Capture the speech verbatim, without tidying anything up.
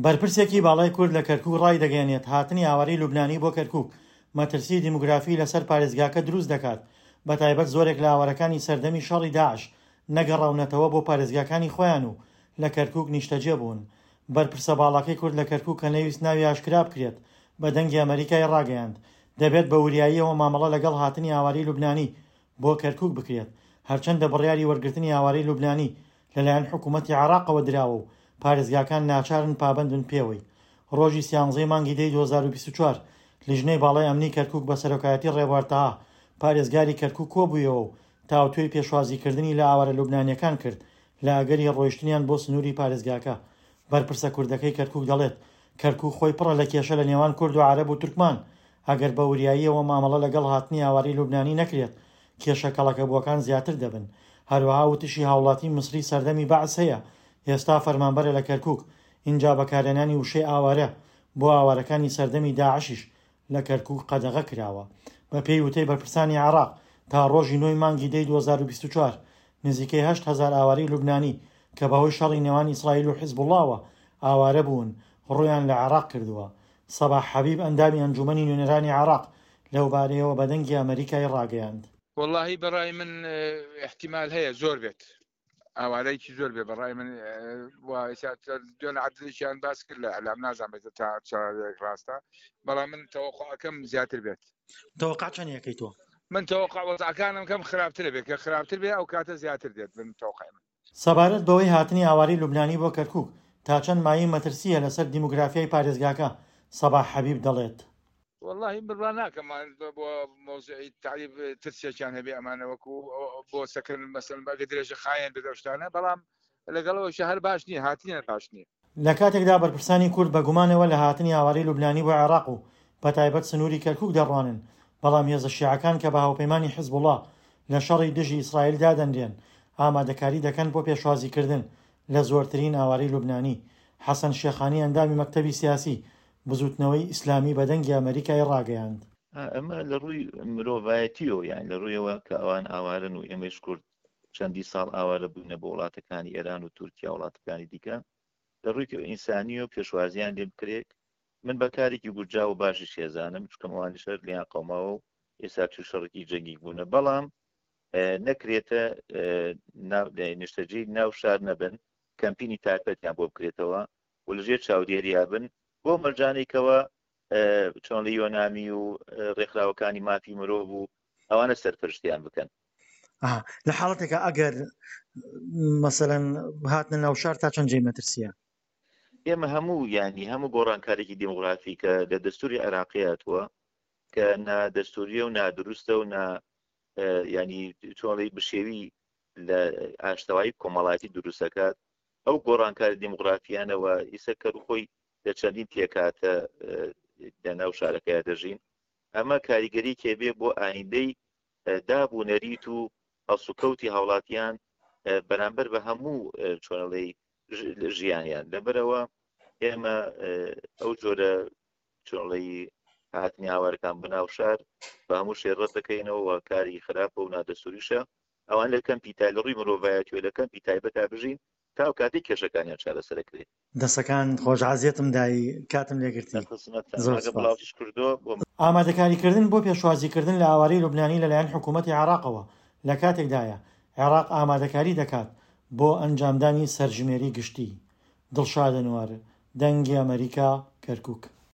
بەرپرسێکی باڵای کورد لە کەرکوک ڕایدەگەیەنێت، هاتنی ئاوارەی لوبنانی بۆ کەرکوک مەترسی دیموگرافی لەسەر پارێزگاکە دروست دەکات، بەتایبەت زۆرێک لە ئاوارەکانی سەردەمی شەڕی داعش نەگەڕاونەتەوە بۆ پارێزگاکانی خۆیان و لە کەرکوک نیشتەجێ بوون. بەرپرسە باڵاکەی کورد لە کەرکوک کە نەیویست ناوی ئاشکرا بکرێت بە دەنگی ئەمەریکای ڕاگەیاند، دەبێت بە وریاییەوە مامەڵە لەگەڵ هاتنی ئاوارەی لوبنانی بۆ کەرکوک بکرێت، هەرچەندە بڕیاری وەرگرتنی ئاوارەی لوبنانی لەلایەن حکوومەتی عێراقەوە دراوە و پارێزگاکان ناچارن پابەندبن پێوەی. ڕۆژی سیانزەی مانگی دەی دوو هەزار و بیست و چوار لیژنەی باڵای ئەمنی کەرکوک بە سەرۆکایەتی ڕێبوار تەها پارێزگاری کەرکوک کۆبوویەوە و تاوتوێی پێشوازیکردنی لە ئاوارە لوبنانیەکان کرد لە ئەگەری ڕۆیشتنیان بۆ سنووری پارێزگاکە. بەرپرسە کوردەکەی کەرکوک دەڵێت، کەرکوک خۆی پڕە لە کێشە لە نێوان کورد و عەرەب و تورکمان، ئەگەر بە وریاییەوە مامەڵە لەگەڵ هاتنی ئاوارەی لوبنانی نەکرێت کێشە کەڵەکەبووەکان زیاتر دەبن. هەروەها وتیشی هاوڵاتی میسری سەردەمی بەعس هەیە ئێستا فەرمانبەرە لە کەرکوک، ئینجا بەکارهێنانی وشەی ئاوارە بۆ ئاوارەکانی سەردەمی داعشیش لە کەرکوک قەدەغە کراوە. بەپێی وتەی بەرپرسانی عێراق تا ڕۆژی نۆی مانگی دەی دوو هەزار و بیست و چوار نزیکەی هەشت هەزار ئاوارەی لوبنانی کە بەهۆی شەڕی نێوان ئیسرائیل و حیزبوڵڵاوە ئاوارە بوون ڕوویان لە عێراق کردووە. سەباح حەبیب ئەندامی ئەنجومەنی نوێنەرانی عێراق لەوبارەیەوە بە دەنگی ئەمەریکای ڕاگەیاند. وەڵاهی بەڕای من احتیمال هەیە زۆر بێت، ئاوارەیەکی زۆر بێ بەڕای من. دوێن عەدلێکیان باس کرد لە ئەلام، نازانم تا چ ڕاستە، بەڵام من تەوەقعەکەم زیاتر بێت. تەوەقع چەند یەکەی تۆ؟ من تەوەقع وەزعەکانم کەم خراپتر بێت، کە خراپتر بێ ئەو کاتە زیاتر دێت من تەوەقعی من. سەبارەت بەوەی هاتنی ئاوارەی لوبنانی بۆ کەرکوک تا چەند مایەی مەترسیە لەسەر دیموگرافیای پارێزگاکە، سەباح حەبیب دەڵێت: والله بڕوا ناکەم بۆ مۆزعی تعریب ترسێکیان هەبێ ئەمانە وەکو بۆ سەکرن مەسەن ئەگە درێژە خایەن بێت ئەو شتانە، بەڵام لەگەڵەوەش هەر باش نییە، هاتنیان باش نییە. لە کاتێکدا بەرپرسانی کورد بە گومانەوە لە هاتنی ئاوارەی لوبنانی بۆ عێراق و بەتایبەت سنووری کەرکوک دەڕوانن، بەڵام هێزە شیعەکان کە بە هاوپەیمانی حیزبوڵڵا لە شەڕی دژی ئیسرائیل دادەنرێن ئامادەکاری دەکەن بۆ پێشوازیکردن لە زۆرترین ئاوارەی لوبنانی. حەسەن شێخانی ئەندامی مەکتەبی سیاسی بزوتنەوەی ئیسلامی بە دەنگی ئەمەریکای ڕاگەیاند. ئەمە لە ڕووی مرۆڤایەتیەوە، یان لە ڕوویەوە کە ئەوان ئاوارن و ئێمەش کورد چەندی ساڵ ئاوارە بووینە بۆ وڵاتەکانی ئێران و تورکیا وڵاتەکانی دیکە، لە ڕووی ئینسانیەوە پێشوازیان لێ بکرێت. من بە کارێکی گونجاو و باشی شێزانم، چونکە ئەوانیش هەر لێیان قەوماوە و ئێستا تووش شەڕێکی جەنگی بوونە، بەڵام نەکرێتە نیشتەجێی ناو شار نەبن، کەمپینی تایبەتیان بۆ بکرێتەوە و لەژێر چاودێریا بن بۆ مەرجانێکەوە چۆن لە یۆنامی و ڕێکخراوەکانی مافی مرۆڤ و ئەوانە سەرپەرشتیان بکەن. لە حاڵەتێکە ئەگەر مەسەلەن هاتنە ناو شار تا چەند جێی مەترسیە؟ ئێمە هەموو ینی هەموو گۆڕانکارێکی دیموگرافی کە لە دەستوری عێراقی هاتووە کە نادەستوریە و نادروستە و نا ینی چۆنڵی بشێوی لە ئاشتەوایی کۆمەڵایەتی دروستەکات، ئەو گۆڕانکاری دیموگرافیانەوە ئیسە کە خۆی لە چەندین پێکاتە لە ناو شارەکەیا دەژین، ئەمە کاریگەری کێبێ بۆ ئایندەی داب و نەریت و هەڵسوکەوتی هاوڵاتیان بەرامبەر بە هەموو چۆنەڵی ژیانیان. لەبەرەوە ئێمە ئەو جۆرە چۆنڵی هاتنی ئاوارەکان بە ناو شار بە هەموو شێ ڕەت دەکەینەوە و کاری خراپە و نادەستوریشە. ئەوان لە کەمپی تای لە ڕووی مرۆڤایەتیەوە لە کەمپی تایبەتا بژین تا ئەو کاتێک کێشەکانیان چارەسەرەکرێت. دەسەکان خۆش، عەزیەتم دای، کاتم لێگرتی. زۆر سپاس. بڵاوتیش کردو بۆ ئامادەکاریکردن بۆ پێشوازیکردن لە ئاوارەی لوبنانی لەلایەن حکوومەتی عێراقەوە لە کاتێکدایە عێراق ئامادەکاری دەکات بۆ ئەنجامدانی سەرژمێری گشتی. دڵشاد ئەنوەر، دەنگی ئەمەریکا، کەرکوک.